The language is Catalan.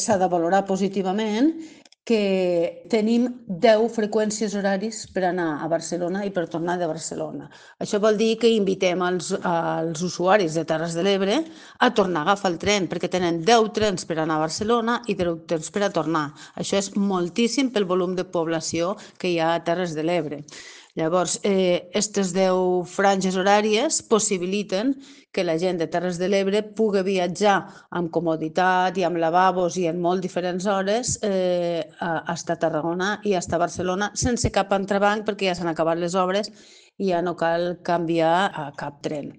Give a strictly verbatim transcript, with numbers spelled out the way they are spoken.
s'ha de valorar positivament que tenim deu freqüències horaris per anar a Barcelona i per tornar de Barcelona. Això vol dir que invitem els, els usuaris de Terres de l'Ebre a tornar a agafar el tren, perquè tenen deu trens per anar a Barcelona i deu trens per a tornar. Això és moltíssim pel volum de població que hi ha a Terres de l'Ebre. Llavors, aquestes eh, deu franges horàries possibiliten que la gent de Terres de l'Ebre pugui viatjar amb comoditat i amb lavabos i en molt diferents hores eh, fins a Tarragona i fins a Barcelona sense cap entrebanc perquè ja s'han acabat les obres i ja no cal canviar a cap tren.